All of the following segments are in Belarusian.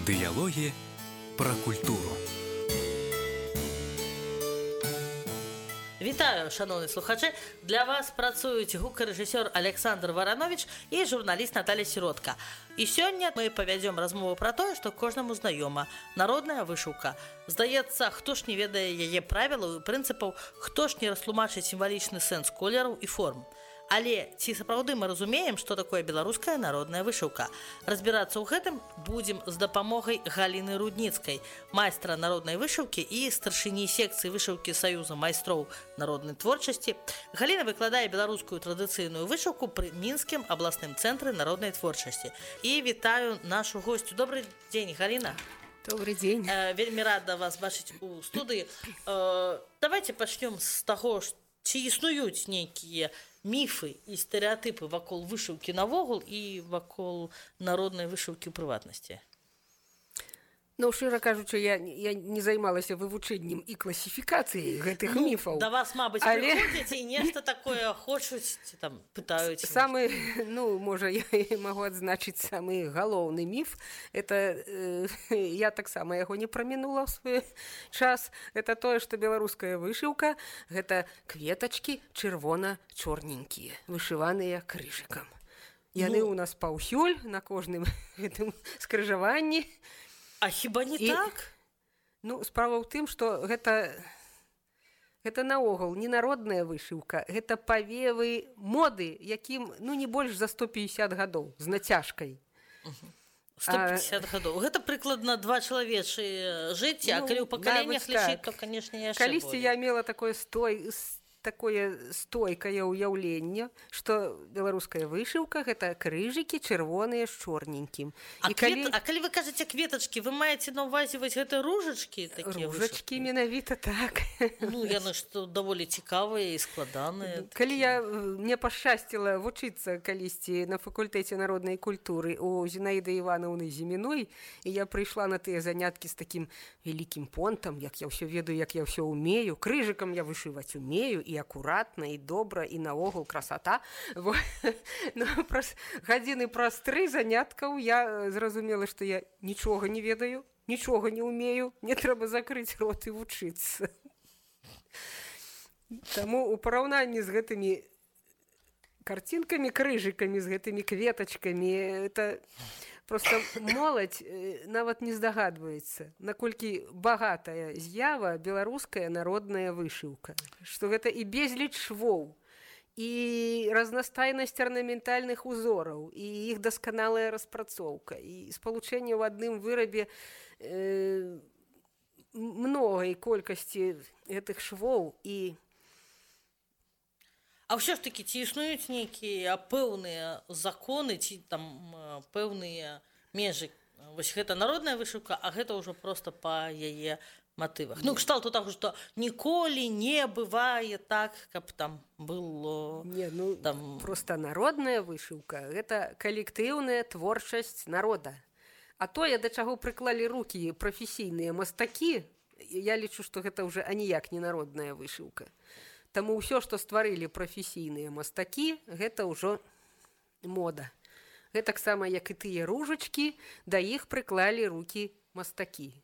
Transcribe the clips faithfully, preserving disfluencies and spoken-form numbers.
Дыялогі пра культуру. Вітаю, шановні слухачі! Для вас працують гукарэжысёр Александр Варанович і журналіст Наталья Сіротка. І сёння мы павядзём размову пра тое, што кожнаму знаёма. Народная вышыўка. Здаецца, хто ж не ведае яе правілаў і прынцыпаў, хто ж не растлумачыць сімвалічны сэнс колераў і форм. Але ці сапраўды мы разумеем, што такое беларуская народная вышыўка? Разбірацца ў гэтым будзем з дапамогай Галіны Рудніцкай, майстра народнай вышыўкі і старшыні секцыі вышыўкі Саюза майстроў народнай творчасці. Галіна выкладае беларускую традыцыйную вышыўку пры Мінскім абласным цэнтры народнай творчасці. І вітаю нашу госцю. Добрый дзень, Галіна. Добрый день. Э, вельмі рада вас бачыць у студыі. Э, давайте пачнём з таго, ці існуюць нейкія міфы і стэрэатыпы вакол вышыўкі навогул і вакол народнай вышыўкі ў прыватнасці? Ну, шчыра кажучы, я, я не займалася вывучэннем і класіфікацыяй гэтых ну, міфаў. Да вас, мабыць, але... прыходзяць і нешта такое хочуць, ці там пытаюць. Самы, ну, можа, я магу адзначыць самы галоўны міф. Это, э, я таксама яго не прамінула ў свой час. Это тое, што беларуская вышыўка – гэта кветачкі чырвона-чорненькія, вышываныя крыжыкам. Яны ну... ў нас паўсюль на кожным гэтым скрыжаванні. А хіба не і, так? Ну, справа ў тым, што гэта, гэта наогул не народная вышыўка, гэта павевы моды, якім ну, не больш за сто пятьдесят гадоў, з нацяжкай. сто пятьдесят а, гадоў. Гэта прыкладна два чалавечыя жыцці, ну, а калі ў пакаленнях лічыць, так. то, канешне, яшчэ Калісьці болей. Я мела такое стой... такое стойкае ўяўленне, што беларуская вышыўка – гэта крыжыкі чырвоныя з чорненькім. А, калі... Квет... а калі вы кажаце кветачкі, вы маеце на ўвазе вось гэта ружачкі? Ружачкі менавіта так. Ну, яны што даволі цікавыя і складаныя. Калі я, мне пашчасціла вучыцца калісьці на факультэце народнай культуры у Зінаіды Іванаўны Зіміной, і я прыйшла на тыя заняткі з такім вялікім понтам, як я ўсё ведаю, як я ўсё умею, крыжыкам я вышываць умею, і акуратна, і добра, і наогул красота. Ну, праз гадзіны праз тры заняткаў я зразумела, што я нічога не ведаю, нічога не умею, мне трэба закрыць рот і вучыцца. Таму ў параўнанні з гэтымі карцінкамі, крыжыкамі, з гэтымі кветачкамі, это проста моладзь нават не здагадваецца, наколькі багатая з'ява беларуская народная вышыўка. Што гэта і безліч швоў, і разнастайнасць арнаментальных узораў, і іх дасканалая распрацоўка, і спалучэнне ў адным вырабе э, многай колькасці гэтых швоў і А ўсё ж такі, ці існуюць нейкія пэўныя законы, ці там пэўныя межы? Вось гэта народная вышыўка, а гэта ўжо проста па яе матывах. Ну, кшталту таго, што ніколі не бывае так, каб там было... Не, ну, там... проста народная вышыўка – гэта калектыўная творчасць народа. А тое, да чаго прыклалі рукі прафесійныя мастакі, я лічу, што гэта ўжо аніяк не народная вышыўка. Таму ўсё, што стварылі прафесійныя мастакі, гэта ўжо мода. Гэтаксама, як і тыя ружачкі, да іх прыклалі рукі мастакі.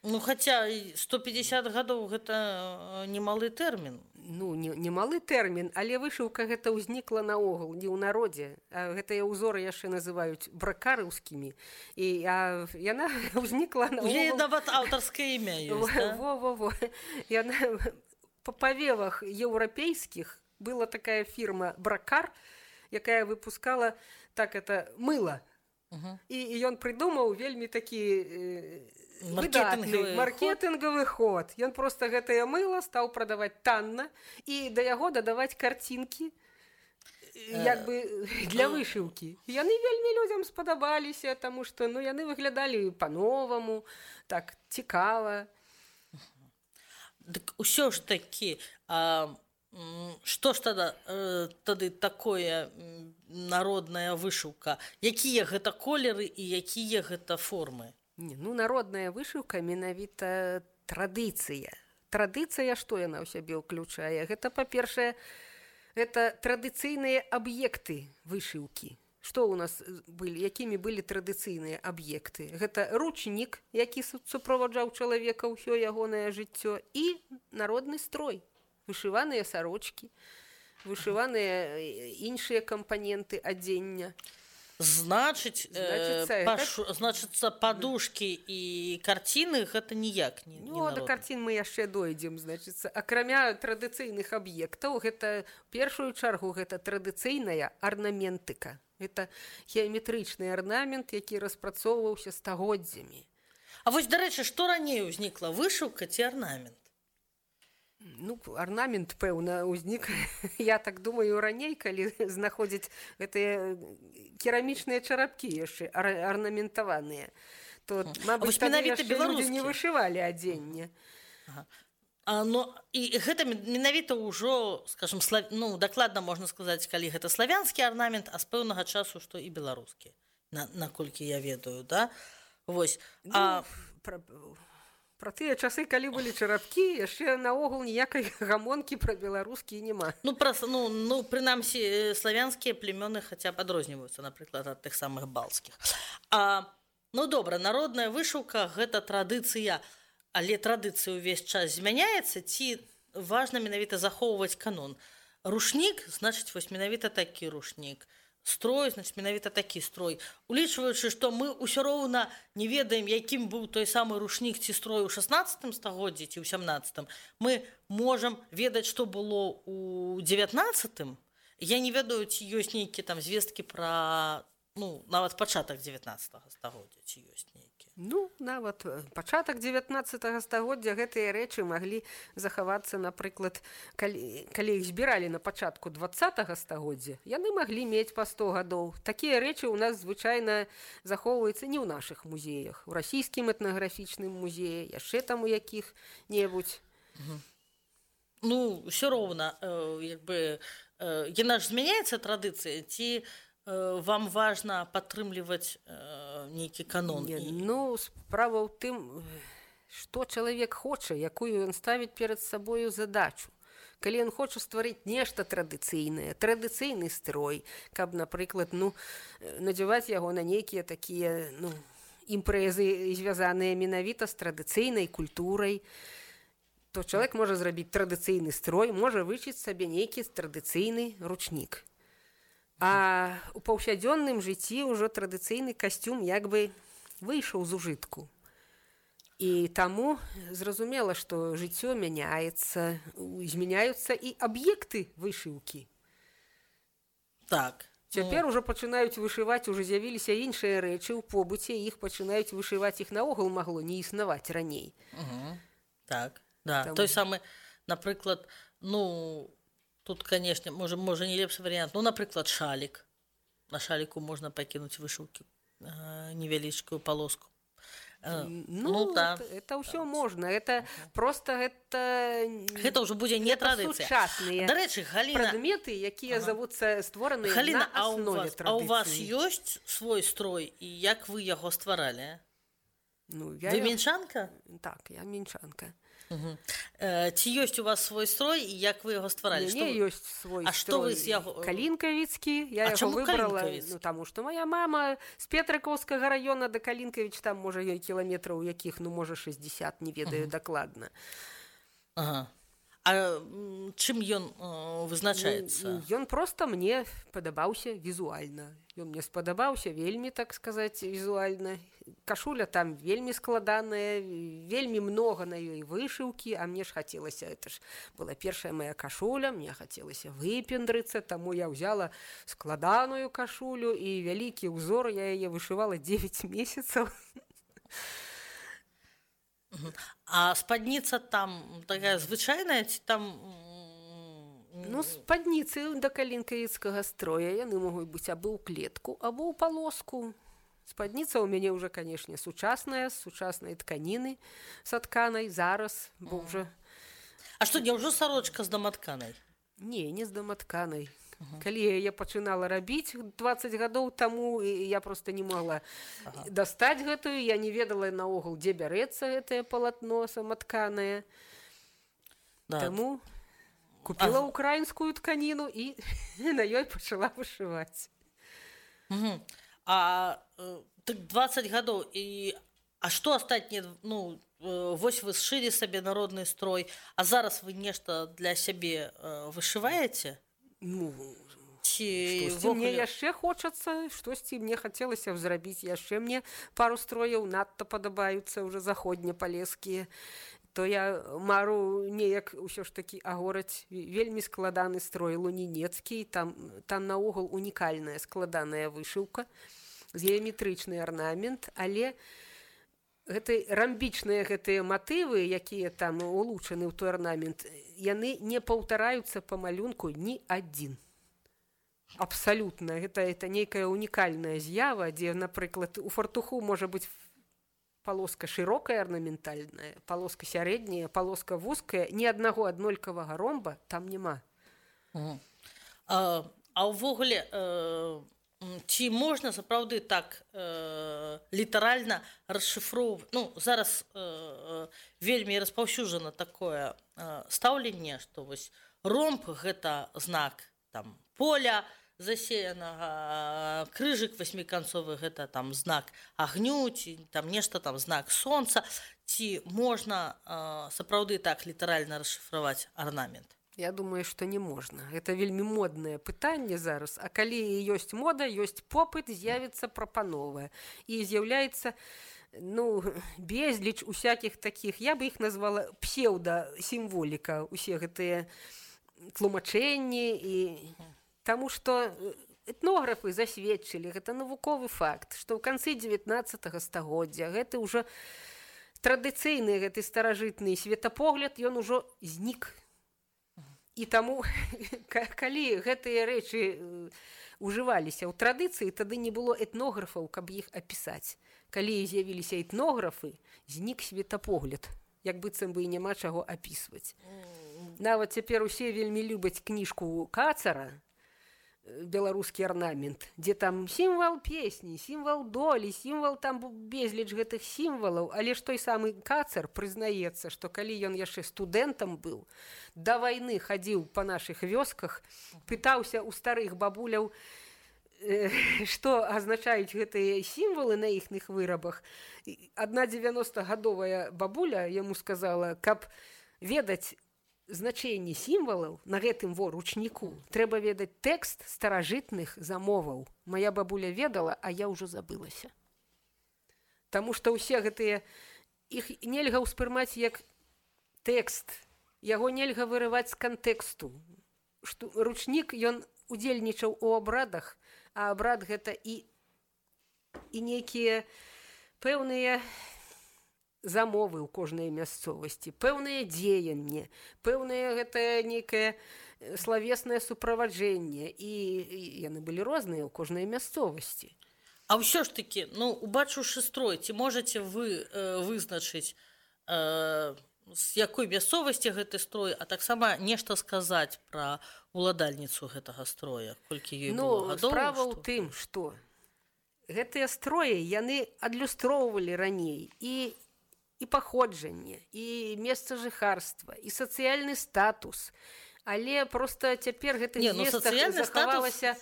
Ну, хаця сто пятьдесят гадоў гэта немалы тэрмін. Ну, не, немалы тэрмін, але вышыўка гэта ўзнікла наогул, не ў народзе. А гэтыя ўзоры яшчэ называюць бракарыўскімі. І а, яна ўзнікла наогул... У яе нават аўтарскае імя ёсць, да? Во-во-во. Яна... Па павевах еўрапейскіх была такая фірма «Бракар», якая выпускала так это мыло. Uh-huh. І ён прыдумаў вельмі такі э, выдатны маркетынгавы ход. Ён проста гэтае мыло стаў прадаваць танна і да яго дадаваць карцінкі як бы для вышыўкі. Яны вельмі людзям спадабаліся, таму што ну, яны выглядалі па-новаму, так цікава. Дык усё ж такі, а, што ж тада, тады такое народная вышыўка? Якія гэта колеры і якія гэта формы? Не, ну, народная вышыўка менавіта традыцыя. Традыцыя, што яна ў сябе ўключае? Гэта, па-першае, гэта традыцыйныя аб'екты вышыўкі. Што ў нас былі, якімі былі традыцыйныя аб'екты? Гэта ручнік, які суправаджаў чалавека ўсё ягонае жыццё, і народны строй, вышываныя сарочкі, вышываныя іншыя кампаненты адзення. Значыць, Значыцца, э, пашу, значыцца падушкі і карціны гэта ніяк не, не Ну, да карцін мы яшчэ дойдзем, значыцца. Акрамя традыцыйных аб'ектаў, гэта ў першую чаргу гэта традыцыйная арнаментыка. Гэта геаметрычны арнамент, які распрацоўваўся стагоддзямі. А вось, дарэчы, што раней узнікла, вышыўка ці арнамент? Ну, арнамент, пэўна, узнік, я так думаю, раней, калі знаходзяць гэтыя керамічныя чарапкі яшчэ, ар арнаментаваныя. То, мабыць, тады яшчэ людзі не вышывалі адзенне. Ага. А, ну, і гэта менавіта ўжо, скажем, слав... ну, дакладна можна сказаць, калі гэта славянскі арнамент, а з пэўнага часу, што і беларускі, на, наколькі я ведаю, да? Вось. Ну, а... Пра... Пра тыя часы, калі былі чарапкі, яшчэ наогул ніякай гамонкі пра беларускі няма. Ну, пра, ну, ну прынамсі, славянскія племёны хаця б адрозніваюцца, напрыклад, ад тых самых балцкіх. А, ну, добра, народная вышыўка – гэта традыцыя, але традыцыя ўвесь час змяняецца, ці важна менавіта захоўваць канон. Рушнік, значыць, вось менавіта такі рушнік. Строй, значит, менавіта такі строй. Улічваючы, што мы ўсё роўна не ведаем, якім быў той самы рушнік ці строй у шаснаццатым стагоддзі ці ў сямнаццатым, мы можам ведаць, што было ў дзевятнаццатым. Я не ведаю, ці ёсць нейкія там звесткі пра, ну, нават пачатак дзевятнаццатага стагоддзя, ці ёсць нейкія. Ну, нават пачатак дзевятнаццатага стагоддзя гэтыя рэчы маглі захавацца, напрыклад, калі, калі іх збіралі на пачатку дваццатага стагоддзя, яны маглі мець па сто гадоў. Такія рэчы ў нас звычайна захоўваюцца не ў нашых музеях, у расійскім этнаграфічным музеі, яшчэ там у якіх-небудзь. Угу. Ну, ўсё роўна, э, як бы, э, яна ж змяняецца традыцыя, ці вам важна падтрымліваць э, нейкі канон? Не, і... Ну, справа ў тым, што чалавек хоча, якую ён ставіць перад сабою задачу. Калі ён хоча стварыць нешта традыцыйнае, традыцыйны строй, каб, напрыклад, ну, надзяваць яго на нейкія такія, ну, імпрэзы, звязаныя менавіта з традыцыйнай культурай, то чалавек можа зрабіць традыцыйны строй, можа вычыць сабе нейкі традыцыйны ручнік. А ў паўсядзённым жыцці ўжо традыцыйны касцюм як бы выйшаў з ужытку. І таму зразумела, што жыццё мяняецца, змяняюцца і аб'екты вышыўкі. Так. Цяпер ужо пачынаюць вышываць, ужо з'явіліся іншыя рэчы ў побыце, іх пачынаюць вышываць, іх наогул магло не існаваць раней. Угу. Так, да. Таму... Той самы, напрыклад, ну... Тут, конечно, можа, можа не лепшы варыянт. Ну, напрыклад, шалік. На шаліку можна пакінуць вышыўкі, э, невялічкую палоску. Э, ну, ну да. Это ўсё можна. Это просто гэта... Гэта ўжо будзе не традыцыя. Сучасныя Дарэчы, Галіна... прадметы, якія ага. завуцца створаныя Галіна, на аснове традыцыі. А А ў вас ёсць свой строй, і як вы яго стваралі? Ну, я... Вы мінчанка? Так, я мінчанка. Угу. Э, ці ёсць у вас свой строй і як вы яго стваралі? Не, не ёсць свой а строй. Што вы з яго... Калінкавіцкі. Я а яго выбрала, ну, таму што моя мама з Петрыкаўскага раёна да Калінкавіч, там, можа, кіламетраў якіх, ну, можа, шэсцьдзесят, не ведаю угу. дакладна. Ага. А чым ён э, вызначаецца? Ну, ён проста мне падабаўся візуальна. Ён мне спадабаўся вельмі, так сказаць, візуальна. Кашуля там вельмі складаная, вельмі многа на ёй вышыўкі, а мне ж хацелася, это ж была першая моя кашуля, мне хацелася выпендрыцца, таму я ўзяла складаную кашулю і вялікі ўзор, я яе вышывала дзевяць месяцаў. А спадніца там такая звычайная, ці там... Ну, спадніцы да калінкавіцкага строя, яны могуць быць або ў клетку, або ў палоску. Спадніца ў мяне ўжо, канешне, сучасная, з сучаснай тканіны, сатканай, зараз, бо ўжо... А што, не ўжо сарочка з даматканай? Не, не з даматканай. Ага. Калі я пачынала рабіць дваццаць гадоў таму, я проста не могла ага. дастаць гэтую, я не ведала наогул, дзе бярэцца гэтае палатно саматканае. Да. Таму купіла ага. украінскую тканіну і на ёй пачала вышываць. Мгм. А э, так двадцать гадоў і а што астатнія ну э, вось вы сшылі сабе народны строй, а зараз вы нешта для сябе э, вышываеце Ну, ці штосьці мне ўвогуле- яшчэ хочацца, штосьці мне хацелася б зрабіць яшчэ мне пару строяў надта падабаюцца ўжо заходнепалескія. То я мару неяк усё ж такі агораць вельмі складаны строй лунінецкі, там, там наогул унікальная складаная вышыўка, геаметрычны арнамент, але гэты рамбічныя гэтыя матывы, якія там улучаны ў той арнамент, яны не паўтараюцца па малюнку ні адзін. Абсалютна. Гэта, гэта нейкая унікальная з'ява, дзе, напрыклад, у фартуху можа быць полоска шырокая арнаментальная, полоска сярэдняя, полоска вузкая, ні аднаго аднолькавага ромба там няма. Мгм. А, а ўвогуле э, м, ці можна сапраўды так э, літаральна расшыфроўваць? Ну зараз э, э, вельмі распаўсюджана такое э, стаўленне, што вось ромб гэта знак там поля засеянага, крыжык васьміканцовы гэта там знак агню, ці там нешта там знак сонца. Ці можна э, сапраўды так літаральна расшыфраваць арнамент? Я думаю, што не можна. Гэта вельмі моднае пытанне зараз. А калі ёсць мода, ёсць попыт, з'явіцца прапанова. І з'яўляецца ну, безліч усякіх такіх, я бы іх назвала псеўда-сімволіка, усе гэтыя тлумачэнні. І... Таму што этнографы засведчылі, гэта навуковы факт, што ў канцы дзевятнаццатага стагоддзя гэты ўжо традыцыйны гэты старажытны светапогляд, ён ужо знік. І таму, калі гэтыя рэчы ўжываліся ў традыцыі, тады не было этнографаў, каб іх апісаць. Калі з'явіліся этнографы, знік светапогляд, як быццам бы і няма чаго апісваць. Нават цяпер усе вельмі любяць кніжку Кацара, беларускі арнамент, дзе там сімвал песні, сімвал долі, сімвал там безліч гэтых сімвалаў, але ж той самы Кацар прызнаецца, што калі ён яшчэ студэнтам быў, да вайны хадзіў па нашых вёсках, пытаўся ў старых бабуляў, э, што азначаюць гэтыя сімвалы на іхных вырабах. Адна дзевяностагадовая бабуля яму сказала, каб ведаць значэнне сімвалаў на гэтым во ручніку, трэба ведаць тэкст старажытных замоваў. Мая бабуля ведала, а я ўжо забылася. Таму што ўсе гэтыя, іх нельга ўспрымаць як тэкст, яго нельга вырываць з кантэксту. Што ручнік, ён удзельнічаў у абрадах, а абрад гэта і, і нейкія пэўныя замовы ў кожнай мясцовасці, пэўныя дзеянні, пэўнае гэта нейкае славеснае суправаджэнне, і, і яны былі розныя ў кожнай мясцовасці. А ўсё ж такі, ну, убачыўшы строй, ці можаце вы э, вызначыць, э, з якой мясцовасці гэты строй, а таксама нешта сказаць пра уладальніцу гэтага строя, колькі ёй Ну, было гадоў? справа ў што- тым, што гэтыя строі, яны адлюстроўвалі раней і і паходжанне, і месца жыхарства, і сацыяльны статус. Але проста цяпер гэтых Не, ну, звестак сацыяльны захавалася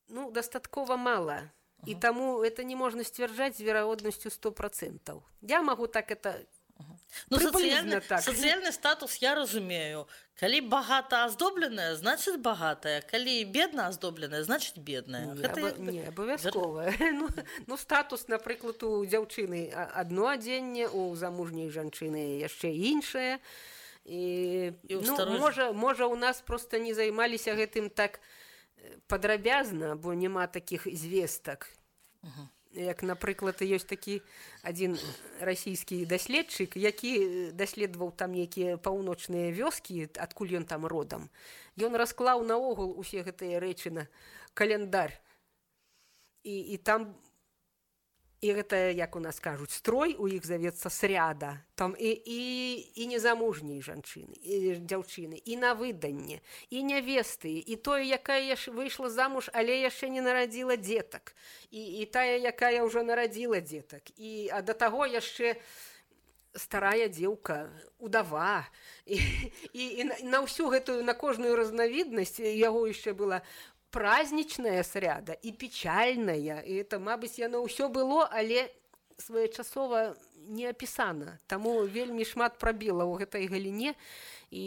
ну, дастаткова мала. І таму это не можна сцвярджаць з верагоднасцю сто процентаў. Я магу так это Ну, прыблізна сацыяльны, так. сацыяльны статус я разумею. Калі багата аздобленая, значыць багатая. Калі бедна аздобленая, значыць бедная. Не, Гэта аба- як бы- не абавязкова. Ну, ну, статус, напрыклад, у дзяўчыны а- адно адзенне, у замужняй жанчыны яшчэ іншае. І, І ў ну, старой- можа, можа, у нас проста не займаліся гэтым так э, падрабязна, бо няма такіх звестак. Як, напрыклад, ёсць такі адзін расійскі даследчык, які даследаваў там нейкія паўночныя вёскі, адкуль ён там родам. Ён расклаў наогул усе гэтыя рэчы на каляндар. І, і там, і гэта, як у нас кажуць, строй у іх завецца сряда. Там і, і, і незамужняй жанчыны, і дзяўчыны, і на выданне, і нявесты, і тое, якая выйшла замуж, але яшчэ не нарадзіла дзетак, і, і тая, якая ўжо нарадзіла дзетак. І, а да таго яшчэ старая дзеўка, удава. І, і, і на, на ўсю гэтую, на кожную разнавіднасць, яго яшчэ была праздничная сряда і печальная, і это, мабыць, яно ўсё было, але своечасова не апісана. Таму вельмі шмат прабіла ў гэтай галіне, і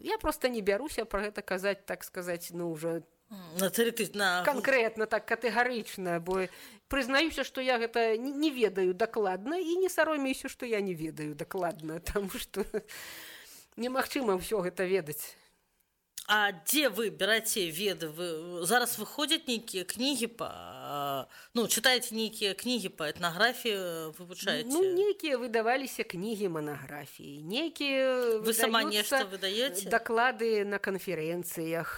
я проста не бяруся пра гэта казаць, так сказаць, ну, уже на тэрыты... на... канкрэтна, так катэгарычна, бо прызнаюся, што я гэта не ведаю дакладна і не саромеюся, што я не ведаю дакладна, таму што немагчыма ўсё гэта ведаць. А дзе вы бераце веды? Вы... Зараз выходзяць нейкія кнігі па... Ну, чытаеце нейкія кнігі па этнаграфіі, вывучаеце? Ну, нейкія выдаваліся кнігі манаграфіі, нейкія вы сама нешта выдаеце? Даклады на канферэнцыях.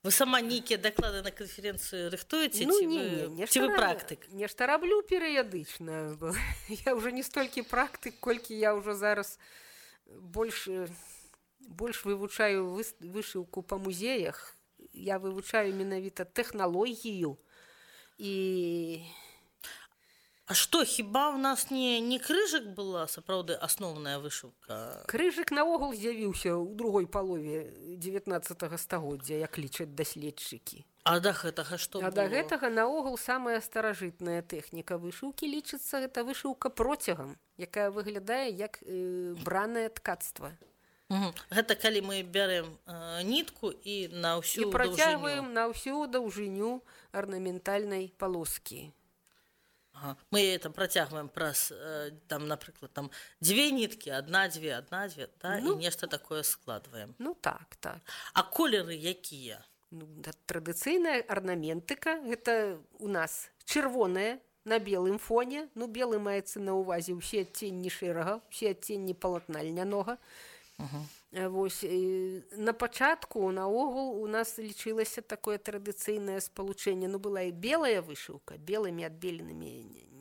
Вы сама нейкія даклады на канферэнцыі рыхтуеце? Ну, ці не, вы... не, нешта ці вы раб... практык? Нешта раблю перыядычна. Я ўжо не столькі практык, колькі я ўжо зараз больш... больш вывучаю вышыўку па музеях, я вывучаю менавіта тэхналогію і... А што, хіба ў нас не, не крыжык была сапраўды асноўная вышыўка? Крыжык наогул з'явіўся ў другой палове дзевятнаццатага стагоддзя, як лічаць даследчыкі. А да гэтага што А было? да гэтага наогул самая старажытная тэхніка вышыўкі лічыцца, гэта вышыўка процягам, якая выглядае як э, бранае ткацтва. Угу. Гэта калі мы бярем э, нітку і на ўсю і працягваем на ўсю даўжыню арнаментальнай палоскі. Ага. Мы там працягваем праз э, там, напрыклад, там дзве ніткі, адна-дзве, адна-дзве, да? Ну, і нешта такое складваем. Ну так, так. А колеры якія? Ну, да, традыцыйная арнаментыка, гэта у нас чырвоная на белым фоне. Ну, белы маецца на ўвазе ўсе адценні шэрага, ўсе адценні палатна льнянога. Uh-huh. Вось, на пачатку наогул у нас лічылася такое традыцыйнае спалучэнне, ну была і белая вышыўка белымі адбеленымі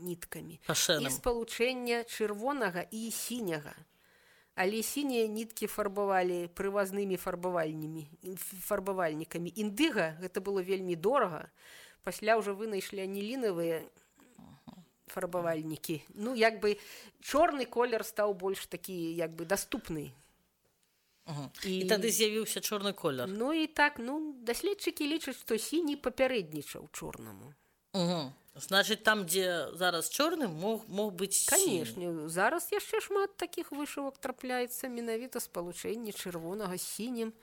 ніткамі Пашэным. І спалучэнне чырвонага і сіняга, але сінія ніткі фарбавалі прывазнымі фарбавальнямі фарбавальнікамі. Індыга гэта было вельмі дорага, пасля ўжо вынайшлі анілінавыя фарбавальнікі. Ну як бы чорны колер стаў больш такі як бы даступны. Угу. І... і тады з'явіўся чорны колер. Ну і так, ну, даследчыкі лічаць, што сіні папярэднічаў чорнаму. Угу. Значыць, там, дзе зараз чорны, мог, мог быць сіні. Канешне, зараз яшчэ шмат такіх вышывак трапляецца, менавіта спалучэнне чырвонага з сінім.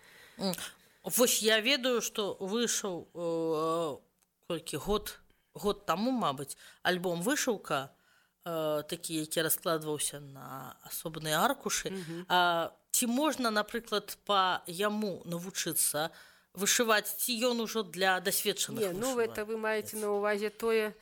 Вось я ведаю, што выйшаў э, колькі год, год таму, мабыць, альбом «Вышыўка», э, такі, які раскладваўся на асобныя аркушы. Угу. А ці можна, напрыклад, па яму навучыцца вышываць, ці ён ужо для дасведчаных вышываць? Не, ну гэта вы маеце на ўвазе тое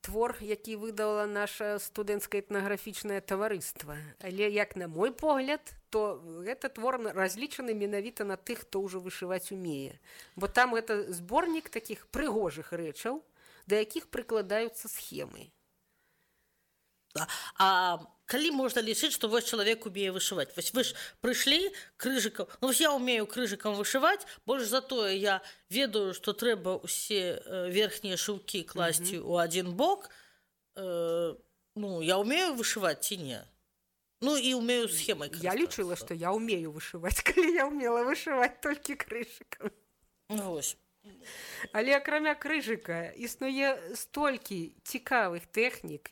твор, які выдала наша студэнцкае этнаграфічнае таварыства. Але, як на мой погляд, то гэта твор разлічаны менавіта на тых, хто ўжо вышываць умее. Бо там гэта зборнік такіх прыгожых рэчаў, да якіх прыкладаюцца схемы. А калі можна лічыць, што вось чалавек умее вышываць? Вось вы ж прыйшлі крыжыкам, ну вось я умею крыжыкам вышываць, больш за тое я ведаю, што трэба ўсе верхнія шыўкі класці ў mm-hmm. адзін бок. Э, ну, я умею вышываць ці не? Ну і умею схемай карыстацца. Я лічыла, што я умею вышываць, калі я умела вышываць толькі крыжыкам. Вось. Але акрамя крыжыка існуе столькі цікавых тэхнік.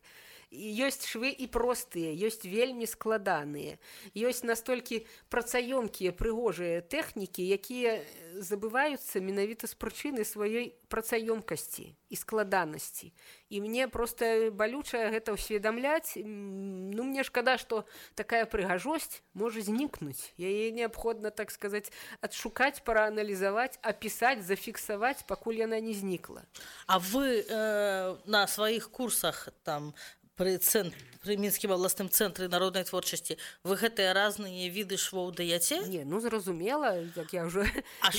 Ёсць швы і простыя, ёсць вельмі складаныя. Ёсць настолькі працаёмкія, прыгожыя тэхнікі, якія забываюцца менавіта з прычыны сваёй працаёмкасці і складанасці. І мне проста балюча гэта ўсведамляць. Ну, мне шкада, што такая прыгажосць можа знікнуць. Яе неабходна, так сказаць, адшукаць, прааналізаваць, апісаць, зафіксаваць, пакуль яна не знікла. А вы э, на сваіх курсах там При, центр, при Мінскім абласным цэнтры народнай творчасці вы гэтыя разныя віды швоў даяце? Не, ну зразумела, як я ўжо аж...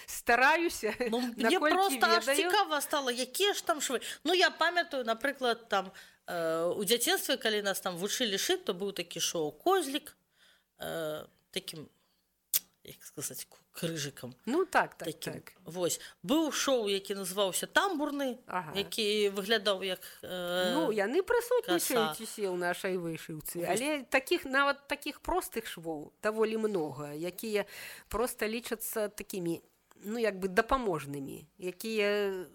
стараюся. Ну, мне проста аж цікава стала, якія ж там швы. Ну я памятаю, напрыклад, там э, у дзяцінстве, калі нас там вучылі шыць, то быў такі шоу «Козлік», э, такім, як сказаць, крыжыкам. Ну так, так, таким. так. Вось. Быў шоу, які называўся «Тамбурны», ага. які выглядаў як э, ну, яны прысутнічаюць усе ў нашай вышыўцы. Але таких, нават такіх простых швоў даволі многа, якія проста лічацца такімі ну як бы дапаможнымі, якія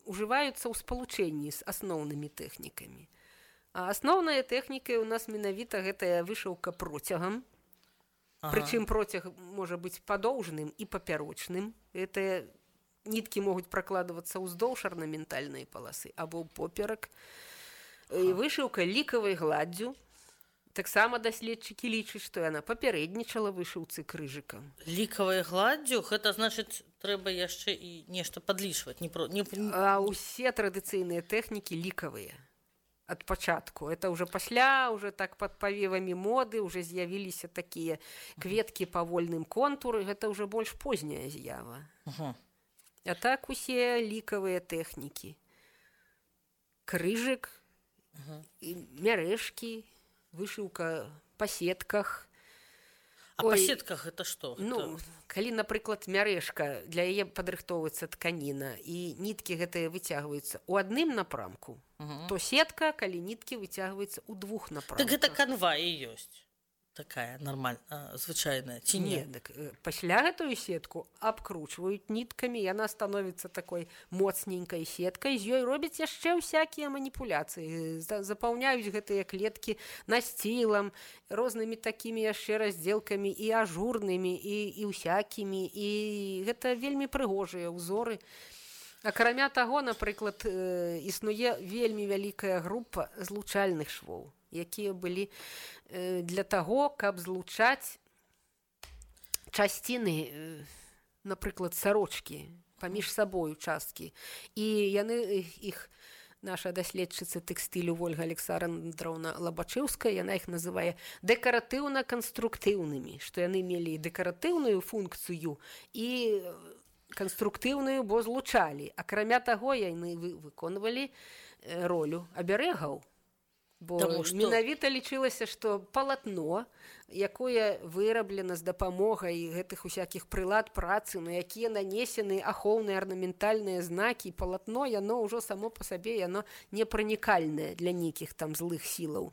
ужываюцца ў спалучэнні з асноўнымі тэхнікамі. А асноўная тэхніка ў нас менавіта гэтая вышыўка процягам. Ага. Прычым процяг можа быць падоўжным і папярочным. Гэтыя ніткі могуць пракладвацца ўздоўж арнаментальнай паласы або поперак. Ага. Вышыўка лікавай гладдзю. Таксама даследчыкі лічаць, што яна папярэднічала вышыўцы крыжыкам. Лікавай гладдзю, гэта значыць, трэба яшчэ і нешта падлічваць. Не про... не... А ўсе традыцыйныя тэхнікі лікавыя. Ад пачатку. Это уже пасля, уже так под павевамі моды, уже з'явіліся такія кветкі па вольным контуры. Гэта уже больш позняя з'ява. Ага. А так усе лікавыя тэхнікі. Крыжык, ага. Мярэшкі, вышыўка па сетках. А Ой, па сетках это што? Ну, это... калі, напрыклад, мярэшка, для яе падрыхтоўваецца тканіна, і ніткі гэтыя выцягваюцца ў адным напрамку, угу. То сетка, калі ніткі выцягваюцца ў двух напрамках. Так гэта канва і ёсць. Такая нормальная, звычайная, ці не? Не, так, пасля гэтую сетку абкручваюць ніткамі, яна становіцца такой моцненькай сеткай, з ёй робяць яшчэ ўсякія маніпуляцыі, запаўняюць гэтыя клеткі насцілам, рознымі такімі яшчэ раздзелкамі і ажурнымі, і, і ўсякімі, і гэта вельмі прыгожыя ўзоры. Акрамя таго, напрыклад, існуе вельмі вялікая група злучальных швоў, якія былі для таго, каб злучаць часціны, напрыклад, сарочкі, паміж сабою часткі. І яны іх, наша даследчыца тэкстылю Вольга Александраўна Лабачэўская, яна іх называе дэкаратыўна-канструктыўнымі, што яны мелі дэкаратыўную функцыю і канструктыўную, бо злучалі. Акрамя таго, яны выконвалі ролю аберэгаў. Бо Таму, што... менавіта лічылася, што палатно, якое выраблена з дапамогай гэтых усякіх прылад працы, на якія нанесены ахоўныя арнаментальныя знакі, палатно, яно ўжо само па сабе, яно непранікальнае для нейкіх там злых сілаў.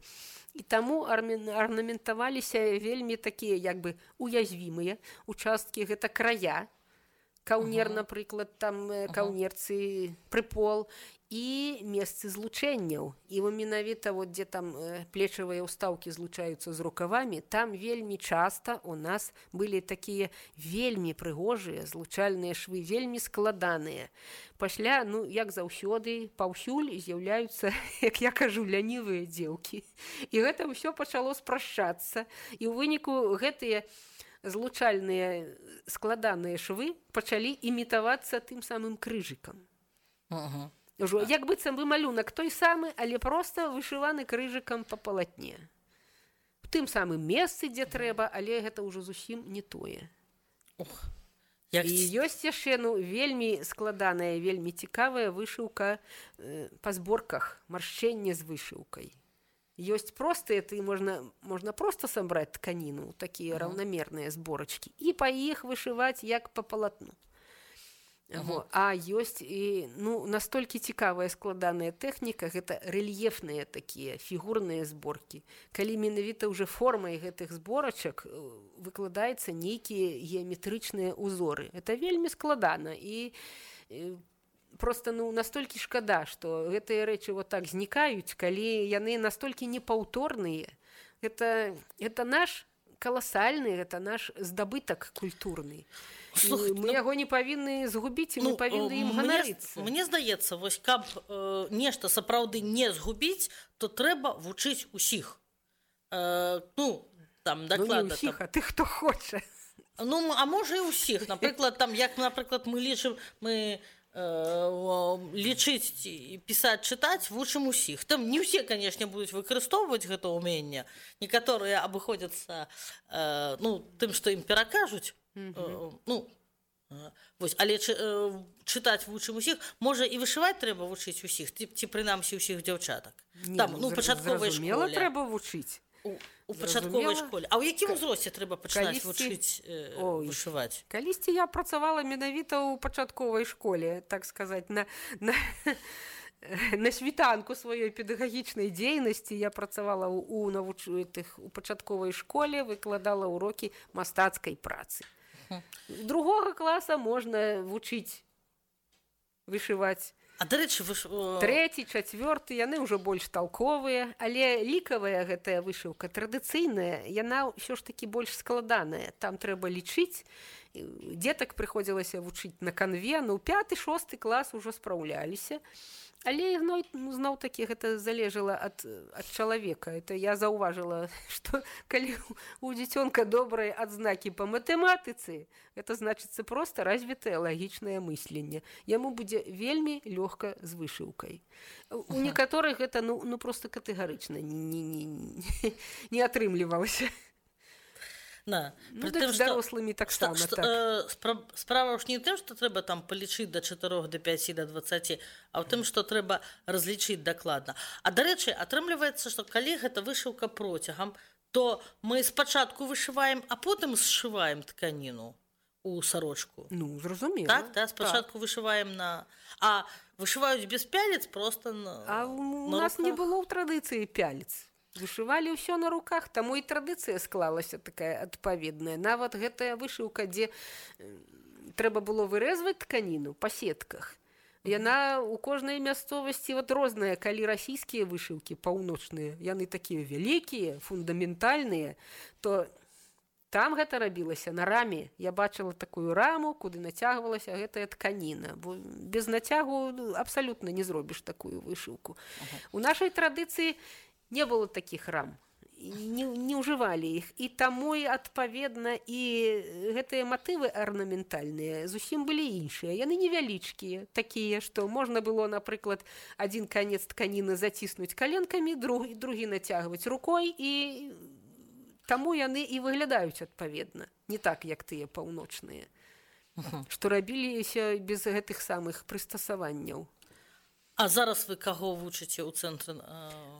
І таму арнаментаваліся вельмі такія, як бы, уязвімыя участкі, гэта края, каўнер, ага. Напрыклад, там каўнерцы, прыпол, і месцы злучэнняў. І менавіта, вот, дзе там плечавыя ўстаўкі злучаюцца з рукавамі, там вельмі часта у нас былі такія вельмі прыгожыя злучальныя швы, вельмі складаныя. Пасля, ну, як заўсёды, паўсюль з'яўляюцца, як я кажу, лянівыя дзеўкі. І гэта ўсё пачало спрашчацца. І ў выніку гэтыя злучальныя складаныя швы пачалі імітавацца тым самым крыжыкам. Ага. Ужо, як быццам бы малюнак той самы, але проста вышываны крыжыкам па палатне. В тым самым месцы, дзе трэба, але гэта ўжо зусім не тое. Ох, як... І ёсць яшчэ, ну, вельмі складаная, вельмі цікавая вышыўка э, па зборках, маршчэнне з вышыўкай. Ёсць простыя, ты можна, можна проста сабраць тканіну, такія ага. раўнамерныя зборачкі, і па іх вышываць як па палатну. Ага. А ёсць і, ну, настолькі цікавая складаная тэхніка, гэта рэльефныя такія фігурныя зборкі. Калі менавіта ўжо формай гэтых зборачак выкладаецца нейкія геаметрычныя ўзоры. Это вельмі складана і, і просто, ну, настолькі шкада, што гэтыя рэчы вот так знікаюць, калі яны настолькі непаўторныя. Гэта, гэта наш каласальны, гэта наш здабытак культурны. Слухай, мы ну, яго не павінны згубіць, і ну, мы павінны ім ганарыцца. Мне здаецца, вось каб э, нешта сапраўды не згубіць, то трэба вучыць усіх. Э, ну, там дакладна. Ну, не ўсіх, там... а тых, хто хоча. Ну, а можа і ўсіх. Напрыклад, там, як, напрыклад, мы лічым, мы э, лічыць і пісаць, чытаць, вучым усіх. Там не ўсе, канешне, будуць выкарыстоўваць гэта ўменне. Некаторыя абыходзяцца э, ну, тым, што ім перакажуць. Mm-hmm. Ну, вось, але чы, чытаць вучым усіх, можа і вышываць трэба вучыць усіх, ці, ці прынамсі ўсіх дзяўчатак. Не, там, ну, пачатковай школе. Трэба вучыць. У, у пачатковай школе. А ў якім узросце трэба пачынаць Калісці... вучыць э, Ой, вышываць? Калісьці я працавала менавіта ў пачатковай школе, так сказаць, на... на... На світанку сваёй педагагічнай дзейнасці я працавала ў, у, навуч... у пачатковай школе, выкладала ўрокі мастацкай працы. Другога класа можна вучыць вышываць. А дарэчы, вы ж... Трэці, чацвёрты, яны ўжо больш талковыя, але лікавая гэтая вышыўка традыцыйная, яна ўсё ж такі больш складаная. Там трэба лічыць, дзетак прыходзілася вучыць на канве, ну пяты, шосты клас ужо спраўляліся. Але ну, зноў-такі гэта залежала ад, ад чалавека. Это я заўважыла, што калі у дзіцёнка добрыя адзнакі па матэматыцы, это значыцца проста развітае лагічнае мысленне. Яму будзе вельмі лёгка з вышыўкай. У некаторых гэта ну, ну проста катэгарычна не, не, не, не атрымлівалася. На. Ну, так з дарослымі таксама што, так. Э, спра- справа ж не ў тым, што трэба там палічыць да чатырох, да пяці, да дваццаці, а ў тым, што трэба разлічыць дакладна. А дарэчы, атрымліваецца, што калі гэта вышыўка процягам, то мы спачатку вышываем, а потым сшываем тканіну у сарочку. Ну, зразумела. Так, да, спачатку так. Вышываем на... А вышываюць без пялец проста на А у на нас руках. не было ў традыцыі пялец. Вышывалі ўсё на руках, таму і традыцыя склалася такая адпаведная. Нават гэтая вышыўка, дзе трэба было вырэзваць тканіну па сетках. Яна ў кожнай мясцовасці вот розная, калі расійскія вышыўкі паўночныя, яны такія вялікія, фундаментальныя, то там гэта рабілася на раме. Я бачыла такую раму, куды нацягвалася гэтая тканіна. Бо без нацягу абсалютна не зробіш такую вышыўку. Ага. У нашай традыцыі не было такіх рам, не, не ўжывалі іх. І таму, адпаведна, і гэтыя матывы арнаментальныя зусім былі іншыя. Яны невялічкія, такія, што можна было, напрыклад, адзін канец тканіны заціснуць каленкамі, другі, другі нацягваць рукой, і таму яны і выглядаюць адпаведна. Не так, як тыя паўночныя, uh-huh. што рабіліся без гэтых самых прыстасаванняў. А зараз вы каго вучыце ў цэнтры?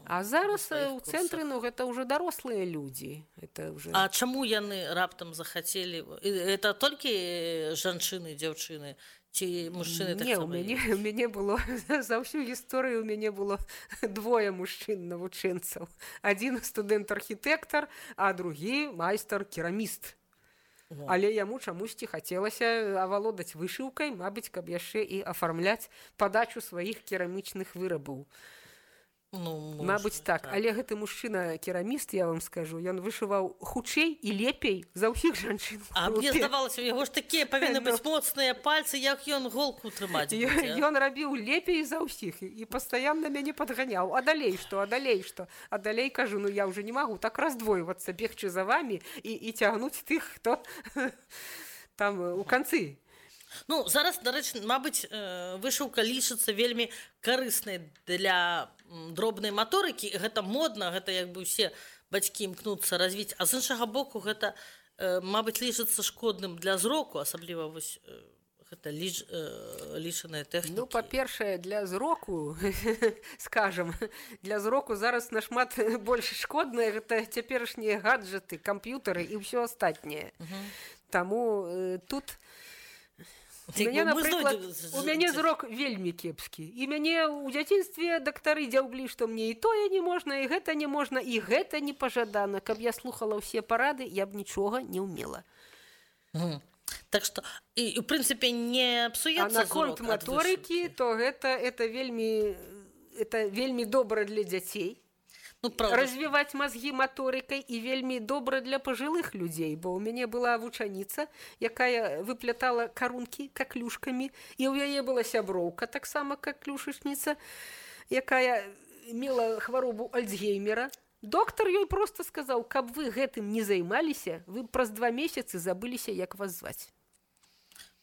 А зараз у цэнтры, ну, гэта ўжо дарослыя людзі. Это уже... А чаму яны раптам захацелі? Это толькі жанчыны, дзяўчыны? Ці мужчыны Не, у мяне, у мяне было, за ўсю гісторыю у мяне было двое мужчын-навучэнцаў. Адзін студэнт-архітэктар, а другі майстар-кераміст. Але яму чамусьці хацелася авалодаць вышыўкай, мабыць, каб яшчэ і афармляць падачу сваіх керамічных вырабаў. Ну, мабыць, так. так. Але гэты мужчына-кераміст, я вам скажу, ён вышываў хутчэй і лепей за ўсіх жанчын. А мне здавалася, у яго ж такія павінны быць моцныя пальцы, як ён голку трымаць будзе. Ён рабіў лепей за ўсіх і пастаянна мяне падганяў. А далей што, а далей што? А далей кажу, ну я ўжо не магу так раздвойвацца, бегчы за вамі і, і цягнуць тых, хто там у канцы. Ну, зараз, дарэчы, мабыць, вышыўка лічыцца вельмі карыснай для дробнай маторыкі. Гэта модна, гэта як бы ўсе бацькі імкнуцца развіць. А з іншага боку, гэта, мабыць, лічыцца шкодным для зроку, асабліва вось гэта ліч, лічаныя тэхнікі. Ну, па-першае, для зроку, скажам, для зроку зараз нашмат больш шкоднае гэта цяперашнія гаджеты, камп'ютары і ўсё астатняе. Угу. Таму э, тут... У мяне, напрыклад, у мяне зрок вельмі кепскі. І мяне ў дзяцінстве дактары дзяўблі, што мне і тое не можна, і гэта не можна, і гэта не пажадана. Каб я слухала ўсе парады, я б нічога не ўмела. Mm. Так што, і, ў прынцыпе, не псуецца зрок ад вышыўкі. А наконт маторыкі, то гэта, это, вельмі, это вельмі добра для дзяцей. Ну, развіваць мазгі маторыкай і вельмі добра для пажылых людзей, бо ў мяне была вучаніца, якая выплятала карункі каклюшкамі, і ў яе была сяброўка, таксама каклюшачніца, якая мела хваробу Альцгеймера. Доктар ёй проста сказаў, каб вы гэтым не займаліся, вы праз два месяцы забыліся, як вас зваць.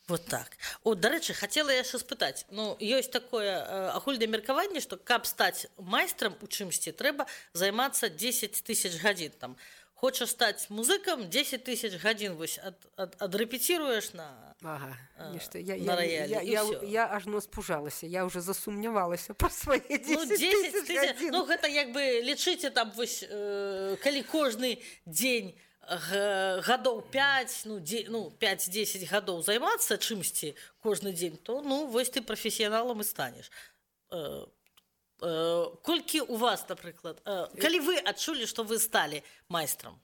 Вот так. О, дарэчы, хацела яшчэ спытаць. Ну, ёсць такое э, агульнае меркаванне, што каб стаць майстрам у чымсьці, трэба займацца дзесяць тысяч гадзін. Там, хочаш стаць музыкам, дзесяць тысяч гадзін вось ад, ад, адрэпеціруеш на, ага, э, нешта. Я, на раялі. Я, я, я, я ажно спужалася, я ўжо засумнявалася па свае дзесяць тысяч гадзін. Ну, гэта як бы лічыце там, вось, э, калі кожны дзень гадоў пяць, ну, ну пяць-дзесяць гадоў займацца чымсьці кожны дзень, то ну вось ты прафесіяналам і станеш. Э, э, колькі у вас, напрыклад, э, калі вы адчулі, што вы сталі майстрам?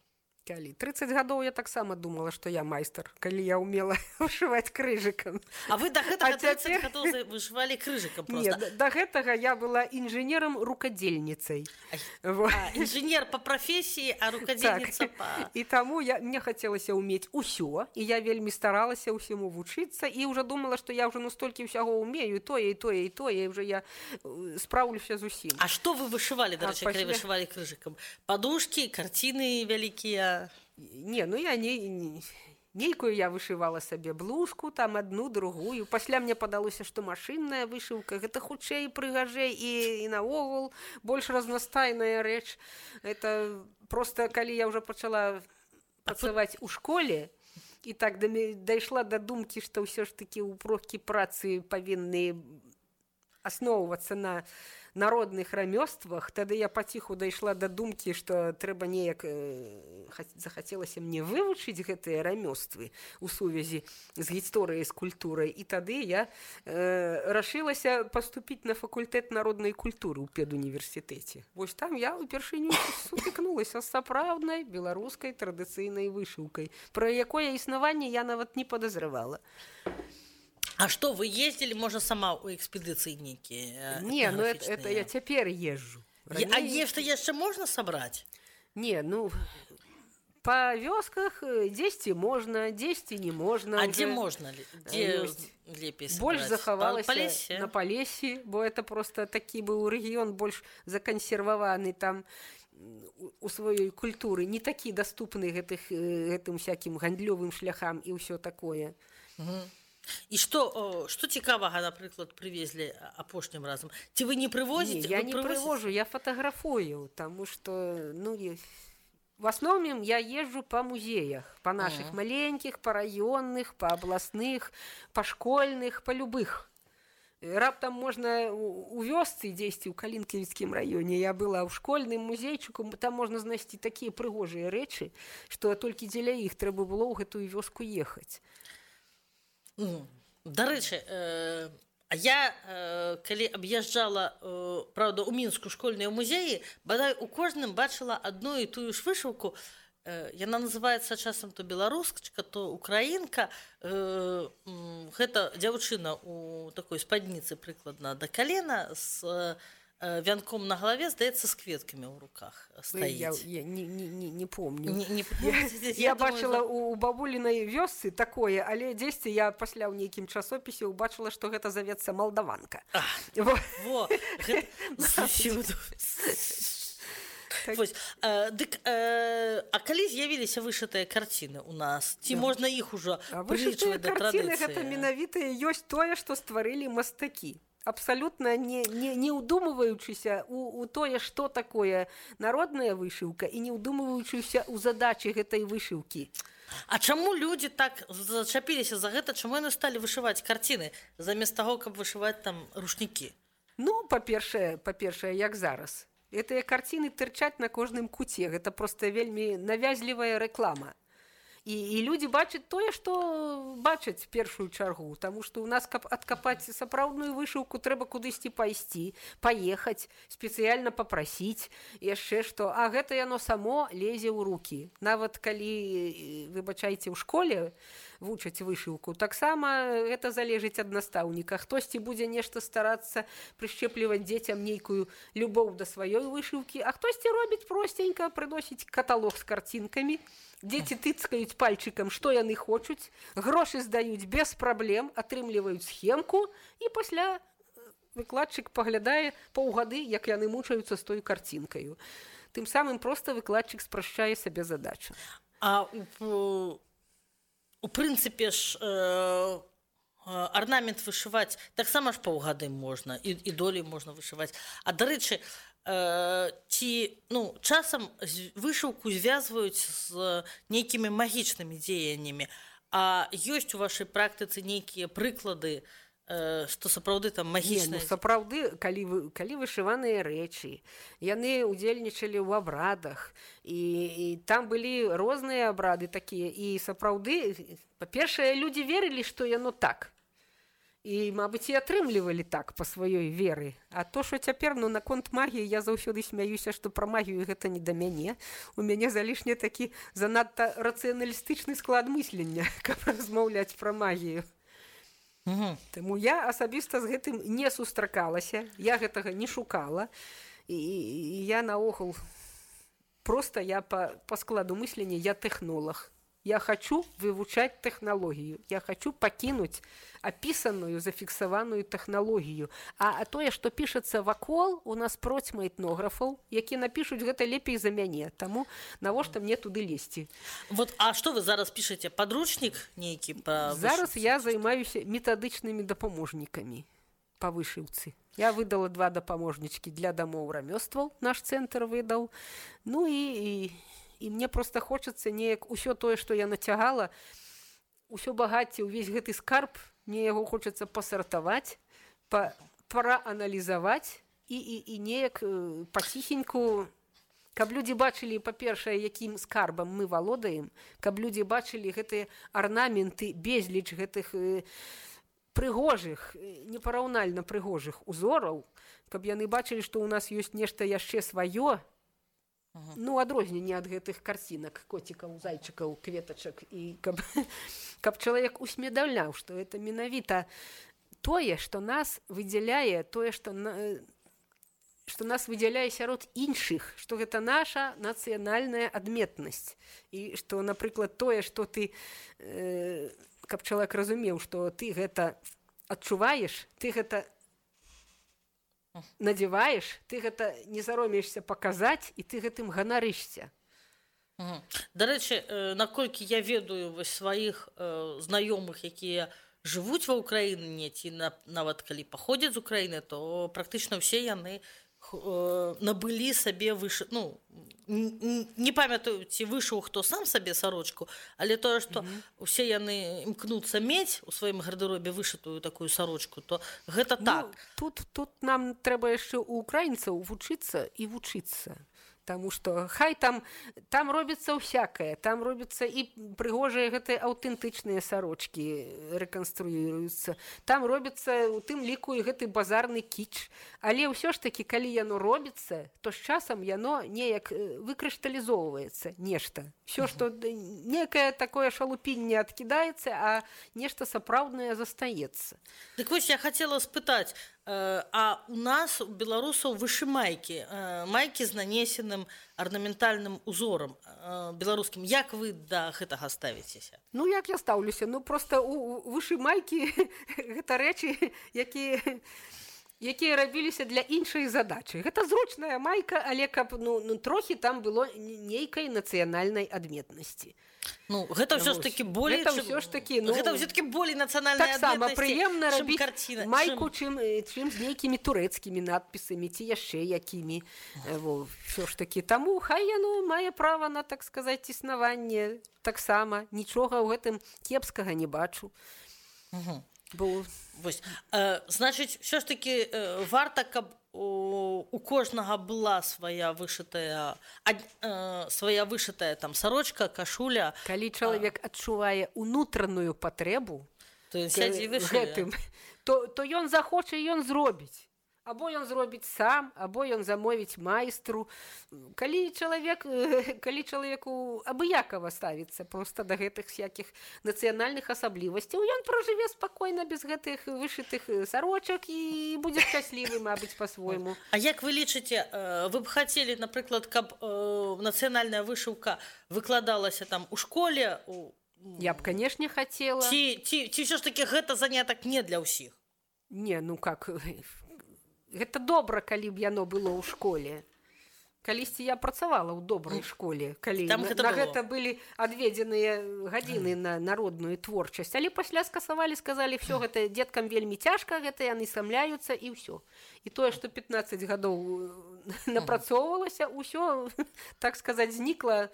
Калі тридцать гадоў я таксама думала, што я майстар, калі я умела вышываць крыжыкам. А вы до гэтага А тридцать цяпер- гадоў за- вышывалі крыжыкам Не, просто. да, да гэтага я была інжынерам-рукадзельніцай. Ай, Вот. А, інжынер по прафесіі, а рукадзельніца Так. па... І таму я, мне хацелася ўмець усё, і я вельмі старалася ўсяму вучыцца, і ўжо думала, што я ўжо ну столькі ўсяго ўмею, і тое, і тое, і тое, і ўжо я э, спраўлюся з усім. А што вы вышывалі, А дарэчы, калі пасля- вышывалі крыжыкам? Падушкі, карціны вялікія. Не, ну я не, не нейкую я вышывала сабе блузку, там одну, другую. Пасля мне падалося, што машынная вышыўка гэта хутчэй, прыгажэй і, і наогул больш разнастайная рэч. Это просто калі я ўжо пачала працаваць у школе, і так да мя- дайшла да думкі, што ўсё ж такі ўпрокі працы павінны асноўвацца на народных рамёствах, тады я паціху дайшла да думкі, што трэба неяк э, ха- захацелася мне вывучыць гэтыя рамёствы у сувязі з гісторыяй, з культурай, і тады я э, рашылася паступіць на факультэт народнай культуры ў педуніверсітэце. Вось там я ўпершыню сутыкнулася з сапраўднай беларускай традыцыйнай вышыўкай, пра якое існаванне я нават не падазравала. А што, вы ездзілі, можа, сама ў экспедыцыі нейкія? Не, ну это, это я цяпер езжу. Е- А нешта яшчэ можна сабраць? Не, ну па вёсках э, дзесьці можна, дзесьці не можна. А уже. дзе можна? ле- Дзе ёсць. лепей Больш сабраць? захавалася Па лесе? на Палесе, бо это просто такі быў рэгіён больш закансерваваны там м, у- у сваёй культуры, не такі даступны гэтых э, гэтым всякім гандлёвым шляхам і ўсё такое. І што, о, што цікавага, напрыклад, прывезлі апошнім разам? Ці вы не Не, прывозіце? я Вы не прывозіце? привожу, я фотографую, потому что, ну, е- в основном я езжу по музеях, по наших Ага. маленьких, по районных, по областных, по школьных, по любых. Э, Раптам можно у у вёсцы дзесьці ў Калінкавіцкім раёне. Я была ў школьным музейчыку, там можна знайсці такія прыгожыя рэчы, што толькі дзеля іх трэба было ў гэтую вёску ехаць. Ну, дарэчы, э, а я, э, калі аб'язджала, э, правда, у Мінску школьныя музеі, бадай у кожным бачыла адну і тую ж вышыўку. Э, яна называецца часам то беларускачка, то украінка. Э, м, гэта дзяўчына у такой спадніцы прыкладна да калена з э, вянком на галаве, здаецца, з кветкамі ў руках Ой, стаіць. Я, я не, не, не, не помню. Не, не, Я, я бачыла у, у бабулінай вёсцы такое, але дзесьці я пасля ў нейкім часопісе ўбачыла, што гэта завецца малдаванка. А, Во. во, гэта зусюду. Так. Вось, э, дык, э, а калі з'явіліся вышытыя карціны у нас? Ці можна іх ужо А вышытыя прылічваць да карціны традыцыі? гэта менавіта і ёсць тое, што стварылі мастакі. Абсалютна не, не, не ўдумваючыся у, у тое, што такое народная вышыўка, і не ўдумваючыся ў задачы гэтай вышыўкі. А чаму людзі так зачапіліся за гэта? Чаму яны сталі вышываць карціны замест таго, каб вышываць там рушнікі? Ну, па-першае, па-першае, як зараз. Гэтыя карціны тырчаць на кожным куце. Гэта проста вельмі навязлівая рэклама. І, і людзі бачаць тое, што бачаць першую чаргу, таму што ў нас, каб адкапаць сапраўдную вышыўку, трэба кудысьці пайсці, паехаць, спецыяльна папрасіць, яшчэ што, а гэта яно само лезе ў рукі. Нават калі, выбачайце, ў школе вучаць вышыўку, таксама гэта залежыць ад настаўніка. Хтосьці будзе нешта старацца прышчэпліваць дзецям нейкую любоў да сваёй вышыўкі, а хтосьці робіць просценька, прыносіць каталог з карцінкамі. Дзеці тыцкаюць пальчыкам, што яны хочуць, грошы здаюць без праблем, атрымліваюць схемку, і пасля выкладчык паглядае паўгады, як яны мучаюцца з той карцінкаю. Тым самым проста выкладчык спрашчае сабе задачу. А у, у прынцыпе ж э, арнамент вышываць таксама ж паўгады можна, і, і долей можна вышываць. А дарэчы, э, ці ну, часам з- вышыўку звязваюць з нейкімі магічнымі дзеяннямі. А ёсць у вашай практыцы нейкія прыклады, э, што сапраўды там Не, ну, магічныя? сапраўды, калі, вы, калі вышываныя рэчы, яны ўдзельнічалі ў абрадах, і, і там былі розныя абрады такія, і сапраўды, па-першае, людзі верылі, што яно так. І, мабыць, і атрымлівалі так па сваёй веры. А то, што цяпер, ну, наконт магіі, я заўсёды смяюся, што пра магію гэта не да мяне. У мяне залішне такі занадта рацыяналістычны склад мыслення, каб размаўляць пра магію. Угу. Таму я асабіста з гэтым не сустракалася, я гэтага не шукала. І, і я наогул, проста я па, па складу мыслення, я тэхнолаг. Я хочу вывучаць тэхналогію. Я хочу пакінуць апісаную, зафіксаваную тэхналогію. А, а тое, што пішацца вакол, у нас процьма этнографаў, які напішуць гэта лепей за мяне. Таму навошта мне туды лезці? Вот, а што вы зараз пішаце? Падручнік нейкі? Па Зараз я займаюся метадычнымі дапаможнікамі па вышыўцы. Я выдала два дапаможнічкі для дамоў рамёстваў, наш цэнтр выдаў. Ну і... і І мне проста хочацца неяк усё тое, што я нацягала, усё багацце, увесь гэты скарб, мне яго хочацца пасартаваць, па, прааналізаваць і, і, і неяк э, паціхеньку, каб людзі бачылі, па-першае, якім скарбам мы валодаем, каб людзі бачылі гэтыя арнаменты, безліч гэтых э, прыгожых, непараўнальна прыгожых узораў, каб яны бачылі, што ў нас ёсць нешта яшчэ сваё, Uh-huh. Ну, адрозненне ад гэтых карцінак, коцікаў, зайчыкаў, кветачак, і каб, каб чалавек усведамляў, што гэта менавіта тое, што нас выдзяляе, тое, што, на, што нас выдзяляе сярод іншых, што гэта наша нацыянальная адметнасць. І што, напрыклад, тое, што ты, э, каб чалавек разумеў, што ты гэта адчуваеш, ты гэта надзяваеш, ты гэта не саромеешся паказаць, і ты гэтым ганарышся. Угу. Дарэчы, э, наколькі я ведаю вось сваіх э, знаёмых, якія жывуць ва ўкраіне, ці на, нават калі паходзяць з Украіны, то практычна ўсе яны э, набылі сабе выш... ну, не памятаю, ці вышыў хто сам сабе сарочку, але тое, што mm-hmm. усе яны імкнуцца мець у сваім гардэробе вышытую такую сарочку, то гэта ну, так. Тут, тут нам трэба яшчэ у украінцаў вучыцца і вучыцца. Таму што хай там, там робіцца ўсякае, там робіцца і прыгожыя гэтыя аўтэнтычныя сарочкі рэканструююцца, там робіцца у тым ліку і гэты базарны кіч. Але ўсё ж такі, калі яно робіцца, то з часам яно неяк выкрышталізоўваецца нешта. Всё, што некае такое шалупінне адкідаецца, а нешта сапраўднае застаецца. Дык вось я хацела спытаць, а у нас, у беларусаў, вышымайкі, майкі з нанесеным арнаментальным узорам беларускім. Як вы да гэтага ставіцеся? Ну, як я стаўлюся? Ну, проста у вышымайкі гэта рэчы, якія... якія рабіліся для іншай задачы. Гэта зручная майка, але каб ну, ну, трохі там было нейкай нацыянальнай адметнасці. Ну, гэта ўсё ж такі болей, гэта ўсё ж такі, ну, гэта ўсё-такі болей нацыянальнай адметнасці. Так сама прыемна рабіць карціна, майку, чым, чым з нейкімі турэцкімі надпісамі, ці яшчэ якімі. Во, ўсё ж такі. Таму хай яно мае права на, так сказаць, існаванне таксама. Нічога ў гэтым кепскага не бачу. Угу. Бо... Вось, э, значыць, ўсё ж такі э, варта, каб у, у кожнага была свая вышытая, а, э, свая вышытая там сарочка, кашуля. Калі чалавек а... адчувае унутраную патрэбу, то сядзі гэтым, то, то ён захоча, ён зробіць. Або ён зробіць сам, або ён замовіць майстру. Калі чалавек, калі чалавеку абыякава ставіцца проста да гэтых всякіх нацыянальных асаблівасцяў, ён пражыве спакойна без гэтых вышытых сарочак і будзе шчаслівы, мабыць, па-свойму. А як вы лічыце, вы б хацелі, напрыклад, каб нацыянальная вышыўка выкладалася там у школе? У... Я б, канешне, хацела. Ці, ці, ці ўсё ж такі гэта занятак не для ўсіх? Не, ну как... Гэта добра, калі б яно было ў школе. Калісьці я працавала ў добрай школе, калі Там на, гэта на было. гэта былі адведзеныя гадзіны на народную творчасць. Але пасля скасавалі, сказалі, все гэта дзеткам вельмі цяжка, гэта яны самляюцца і ўсё. І тое, што пятнаццаць гадоў напрацоўвалася, ўсё, так сказаць, знікла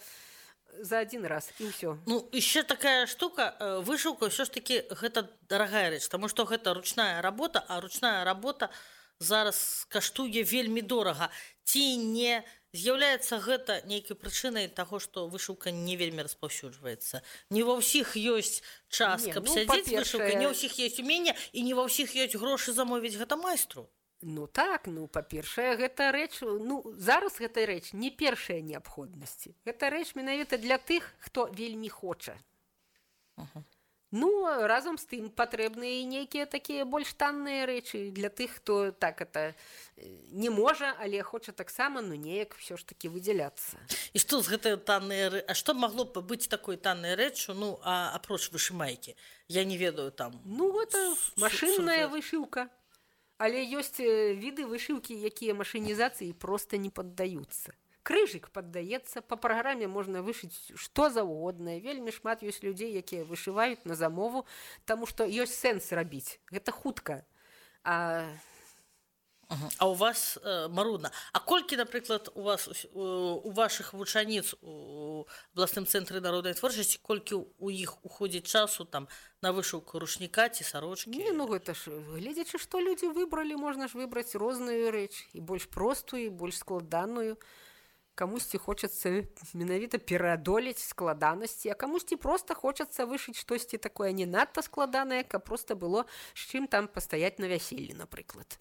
за один раз, і ўсё. Ну, яшчэ такая штука, вышыўка ўсё ж такі гэта дарагая рэч, таму што гэта ручная работа, а ручная работа зараз каштуе вельмі дорага. Ці не з'яўляецца гэта нейкай прычынай таго, што вышыўка не вельмі распаўсюджваецца. Не ва ўсіх ёсць час, Не, каб ну, сядзець па-першае- вышыўкай, не ўсіх ёсць умення і не ва ўсіх ёсць грошы замовіць гэта майстру. Ну так, ну па-першае, гэта рэч, ну зараз гэта рэч не першая неабходнасці. Гэта рэч менавіта для тых, хто вельмі хоча. Ага. Ну, разам з тым патрэбныя і нейкія такія больш танныя рэчы для тых, хто так это не можа, але хоча таксама, ну неяк ўсё ж такі выдзяляцца. І што з гэтай таннай рэ... А што магло б быць такой таннай рэччу, ну, а апроч вышымайкі? Я не ведаю там. Ну, гэта С- машынная сюжэт. вышыўка. Але ёсць э, віды вышыўкі, якія машынізацыі проста не паддаюцца. Крыжык паддаецца, па праграме можна вышыць што заўгодна. Вельмі шмат ёсць людзей, якія вышываюць на замову, таму што ёсць сэнс рабіць. Гэта хутка. А Ага. А у вас э, марудна. А колькі, напрыклад, у вас у, у вашых вучаніц у абласным цэнтры народнай творчасці, колькі у іх уходзіць часу там на вышыўку рушніка ці сарочкі? не, ну гэта ж, гледзячы, што людзі выбралі, можна ж выбраць розную рэч, і больш простую, і больш складаную. Камусьці хочацца менавіта пераадолець складанасці, а камусьці проста хочацца вышыць штосьці такое не надта складанае, каб проста было з чым там пастаяць на вяселлі, напрыклад.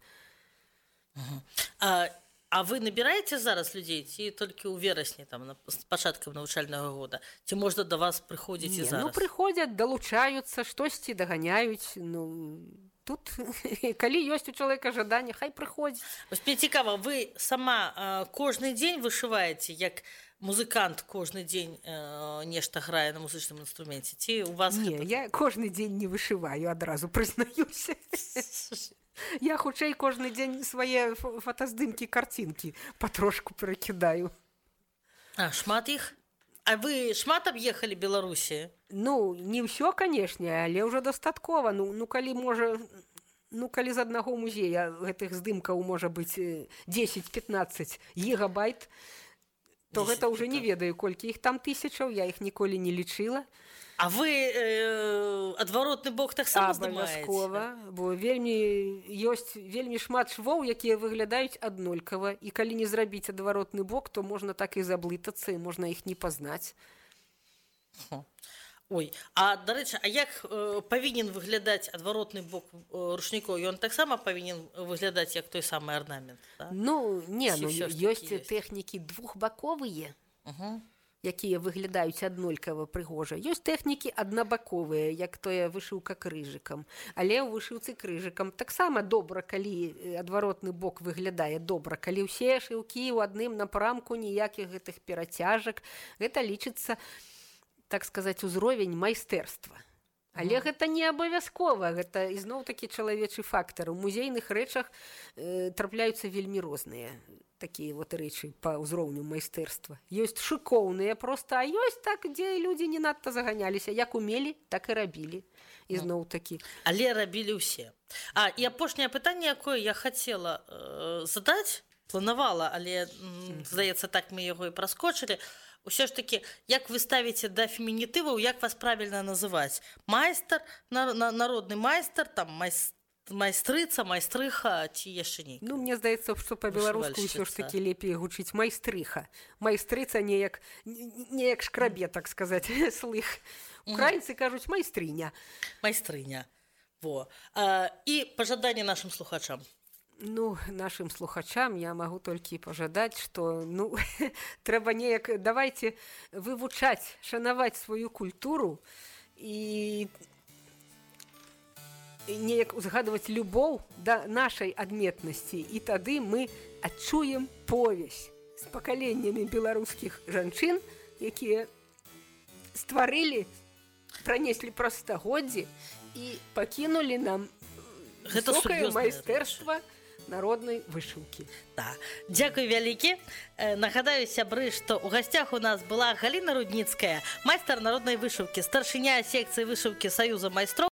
А, а вы набіраеце зараз людзей ці толькі ў верасні там на з пачаткам навучальнага года? Ці можна да вас прыходзіць і Не, зараз? ну прыходзяць, далучаюцца, штосьці даганяюць, ну тут калі ёсць у чалавека жаданне, хай прыходзіць. Вось мне цікава, вы сама а, кожны дзень вышываеце, як музыкант кожны дзень а, нешта грае на музычным інструменце? Ці у вас Не, гэта... я кожны дзень не вышываю, адразу прызнаюся. Я хутчэй кожны дзень свае ф- фотаздымкі, карцінкі патрошку перакідаю. А, шмат іх? А вы шмат аб'ехалі Беларусі? Ну, не ўсё, канешне, але ўжо дастаткова. Ну, ну калі можа, ну калі з аднаго музея гэтых здымкаў можа быць э, дзесяць-пятнаццаць гігабайт, то гэта ўжо не ведаю, колькі іх там тысячаў, я іх ніколі не лічыла. А вы э, адваротны бок таксама здымаеце? Абавязкова, бо вельмі ёсць вельмі шмат швоў, якія выглядаюць аднолькава, і калі не зрабіць адваротны бок, то можна так і заблытацца, і можна іх не пазнаць. Ой, а дарэчы, а як э, павінен выглядаць адваротны бок э, рушнікоў? Ён таксама павінен выглядаць як той самы арнамент, да? Ну, не, Ці ну ўсё ж такі ёсць ёсць? тэхнікі двухбаковыя, Угу. якія выглядаюць аднолькава прыгожа. Ёсць тэхнікі аднабаковыя, як тое вышыўка крыжыкам. Але ў вышыўцы крыжыкам таксама добра, калі э, адваротны бок выглядае добра. Калі ўсе шыўкі ў адным напрамку, ніякіх гэтых перацяжак, гэта лічыцца, так сказаць, узровень майстэрства. Але гэта не абавязкова, гэта ізноў такі чалавечы фактар. У музейных рэчах э, трапляюцца вельмі розныя такія вот рэчы па ўзроўню майстэрства. Ёсць шыкоўныя проста, а ёсць так, дзе людзі не надта заганяліся. Як умелі, так і рабілі. Ізноў такі. Але рабілі ўсе. А, і апошняе пытанне, якое я хацела э, задаць, планавала, але, м, здаецца, так мы яго і праскочылі. Усё ж такі, як вы ставіце да фемінітываў, як вас правільна называць? Майстар, на, на, народны майстар, там майстар, майстрыца, майстрыха ці яшчэ не? Ну, мне здаецца, што па-беларуску ўсё ж такі лепей гучыць майстрыха. Майстрыца неяк, неяк шкрабе, так сказаць, слых. Украінцы кажуць майстрыня. Майстрыня. Во. А, і пажаданне нашым слухачам. Ну, нашым слухачам я магу толькі пажадаць, што, ну, трэба неяк, давайце вывучаць, шанаваць сваю культуру і неяк узгадваць любоў да нашай адметнасці, і тады мы адчуем повязь з пакаленнямі беларускіх жанчын, якія стварылі, пранеслі праз стагоддзі і пакінулі нам Гэта высокае сур'ёзная майстэрства народнай вышыўкі. Да. Дзякуй вялікі. Э, нагадаю, сябры, што ў гасцях у нас была Галіна Рудніцкая, майстар народнай вышыўкі, старшыня секцыі вышыўкі Саюза майстроў.